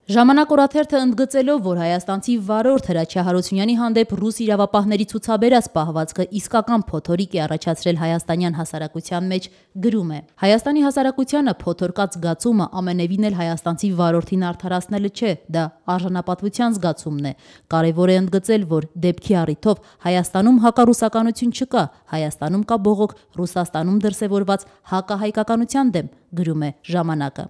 Ժամանակ օրաթերթը ընդգծելով, որ հայաստանցի վարորդ Հրաչյա Հարությունյանի հանդեպ ռուս իրավապահների ցուցաբերած պահվածքը իսկական փոթորիկ է առաջացրել հայաստանյան հասարակության մեջ, գրում է. Հայաստանի հասարակությանը փոթորկած զգացումը ամենևին էլ հայաստանցի վարորդին արդարացնելը չէ, դա արժանապատվության զգացումն է։ Կարևոր է ընդգծել, որ դեպքի առիթով Հայաստանում հակառուսականություն չկա, Հայաստանում կա բողոք Ռուսաստանում դրսևորված հակահայկականության դեմ, գրում է Ժամանակը։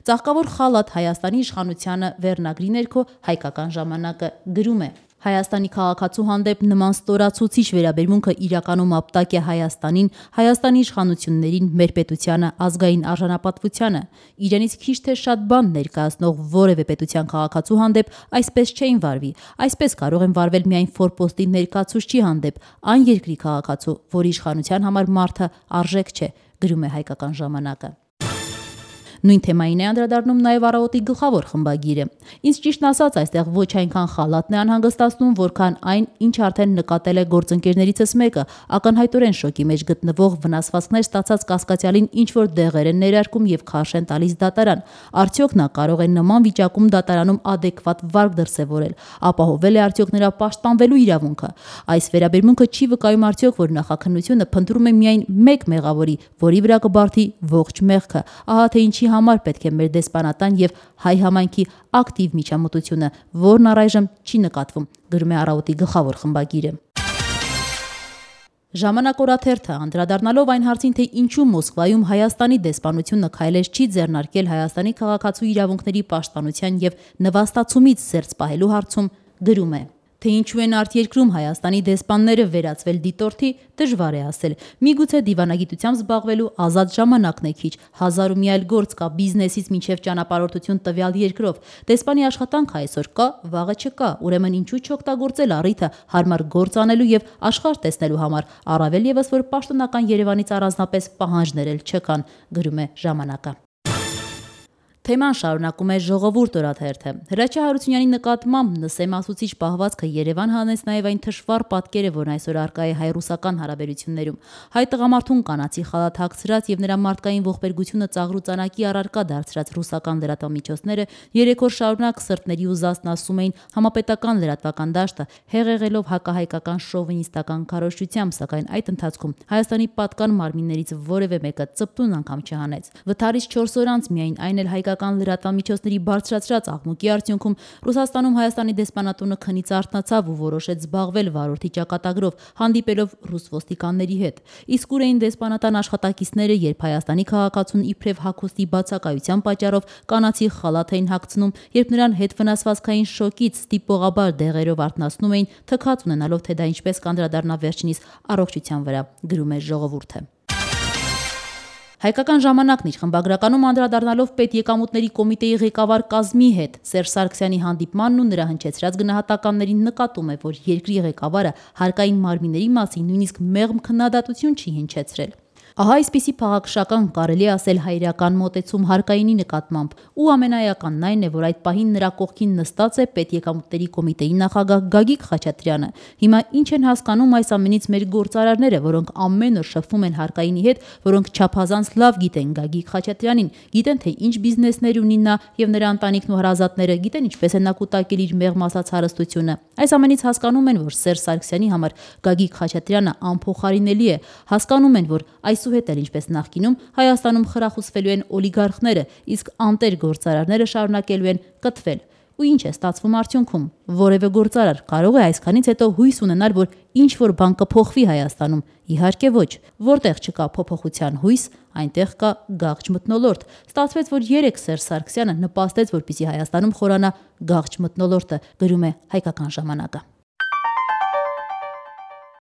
Ծաղկավոր խալաթ Հայաստանի իշխանությանը վերնագրի ներքո Հայկական ժամանակը գրում է. Հայաստանի քաղաքացու հանդեպ նման ստորացուցիչ վերաբերմունքը իրականում ապտակ է Հայաստանին, Հայաստանի իշխանություններին, մեր պետությանը, ազգային արժանապատվությանը։ Իրենից քիչ թե շատ բան ներկայացնող որևէ պետության քաղաքացու հանդեպ այսպես չէին վարվի։ Այսպես կարող են վարվել միայն ֆորպոստի ներկայացուցչի հանդեպ, այն երկրի քաղաքացու, որի իշխանության համար մարդը արժեք չէ, գրում է Հայկական ժամանակը։ Նույն թեմային է անդրադառնում նաև Առավոտի գլխավոր խմբագիրը։ Ինձ ճիշտն ասած, այստեղ ոչ այնքան խալաթն է անհանգստացնում, որքան այն, ինչ արդեն նկատել է գործընկերներիցս մեկը, ակնհայտորեն շոկի մեջ գտնվող վնասվածքներ ստացած կասկածյալին ինչ-որ դեղեր են ներարկում եւ քարշ են տալիս դատարան։ Արդյոք նա կարող է նման վիճակում դատարանում ադեկվատ վարկ դրսևորել, ապահովել է արդյոք նրա պաշտպանվելու իրավունքը։ Այս վերաբերմունքը չի վկայում արդյոք, որ նախաքննությունը փնտրում է միայն մեկ մեղավորի, որի վրա կբարդի ողջ մեղքը։ Ահա թե ինչի համար պետք է մեր դեսպանատան եւ հայ համայնքի ակտիվ միջամտությունը, որն առայժմ չի նկատվում, գրում է Առավոտի գլխավոր խմբագիրը։ Ժամանակ օրաթերթը անդրադառնալով այն հարցին, թե ինչու Մոսկվայում Հայաստանի դեսպանությունը քայլեր չի ձեռնարկել Հայաստանի քաղաքացու իրավունքների պաշտպանության եւ նվաստացումից զերծ պահելու հարցում, գրում է. Թե ինչու են արտերկրում Հայաստանի դեսպանները վերածվել դիտորդի, դժվար է ասել։ Միգուցե դիվանագիտությամբ զբաղվելու ազատ ժամանակն է քիչ, հազար ու մի այլ գործ կա բիզնեսից մինչև ճանապարհորդություն տվյալ երկրով։ Դեսպանի աշխատանքը այսօր կա, վաղը չկա, ուրեմն ինչու չօգտագործել առիթը հարմար գործ անելու եւ աշխարհ տեսնելու համար, առավել եւս որ պաշտոնական Երևանից առանձնապես պահանջներ էլ չկան, գրում է Ժամանակը։ Թեման շարունակում է Ժողովուրդ օրաթերթը։ Հրաչյա Հարությունյանի նկատմամբ նսեմացուցիչ պահվածքը Երևան հանեց նաև այն թշվառ պատկերը, որն այսօր առկա է հայ-ռուսական հարաբերություններում։ Հայ տղամարդուն կանացի խալաթ հագցրած եւ նրա մարդկային ողբերգությունը ծաղրուծանակի առարկա դարձրած ռուսական լրատվամիջոցները 3 օր շարունակ սրտների ուզածն ասում էին համապետական լրատվական դաշտը, հեղեղելով հակահայկական շովինիստական քարոզչությամբ, սակայն այդ ընթացքում Հայաստանի պատկան մարմիններից որևէ մեկը ծպտուն անգամ չհանեց։ Վթարից 4 օր անց միայն այն էլ հայկական լրատվամիջոցների բարձրացրած աղմուկի արդյունքում Ռուսաստանում Հայաստանի դեսպանատունը քնից արթնացավ ու որոշեց զբաղվել վարորդի ճակատագրով, հանդիպելով ռուս ոստիկանների հետ։ Իսկ ուր էին դեսպանատան աշխատակիցները, երբ Հայաստանի քաղաքացուն իբրև հագուստի բացակայության պատճառով կանացի խալաթ էին հագցնում, երբ նրան հետ վնասվածքային շոկից ստիպողաբար դեղերով արթնացնում էին, թքած ունենալով, թե դա ինչպես կանդրադառնա վերջինիս առողջության վրա, գրում է Ժողովուրդը։ Հայկական ժամանակն իր խմբագրականում անդրադառնալով պետեկամուտների կոմիտեի ղեկավար կազմի հետ Սերժ Սարգսյանի հանդիպմանն ու նրա հնչեցրած գնահատականներին նկատում է, որ երկրի ղեկավարը հարկային մարմինների մասին նույնիսկ մեղմ քննադատություն չի հնչեցրել։ Ահա այսպիսի փաղաքշական կարելի ասել հայրական մոտեցում հարկայինի նկատմամբ, ու ամենաեականն այն է, որ այդ պահին նրա կողքին նստած է պետեկամուտների կոմիտեի նախագահ Գագիկ Խաչատրյանը։ Հիմա ինչ են հասկանում այս ամենից մեր գործարարները, որոնք ամեն օր շփվում են հարկայինի հետ, որոնք չափազանց լավ գիտեն Գագիկ Խաչատրյանին, գիտեն թե ինչ բիզնեսներ ունի նա եւ նրա ընտանիքն ու հարազատները, գիտեն ինչպես է նա կուտակել իր մեղմ ասած հարստությունը։ Այս ամենից հասկանում են, որ Սերժ Սարգսյանի համար Գագիկ Խաչատրյանը անփոխարինելի է, հասկանում են, որ այսուհետ էլ ինչպես նախկինում Հայաստանում խրախուսվելու են օլիգարխները, իսկ անտեր գործարարները շարունակելու են կթվել։ Ու ինչ է ստացվում արդյունքում։ Որևէ գործարար կարող է այսքանից հետո հույս ունենալ, որ ինչ-որ բան կփոխվի Հայաստանում։ Իհարկե ոչ։ Որտեղ չկա փոփոխության հույս, այնտեղ կա գաղջ մթնոլորտ։ Ստացվեց, որ երեք Սերժ Սարգսյանը նպաստեց, որպեսզի Հայաստանում խորանա գաղջ մթնոլորտը, գրում է Հայկական ժամանակը։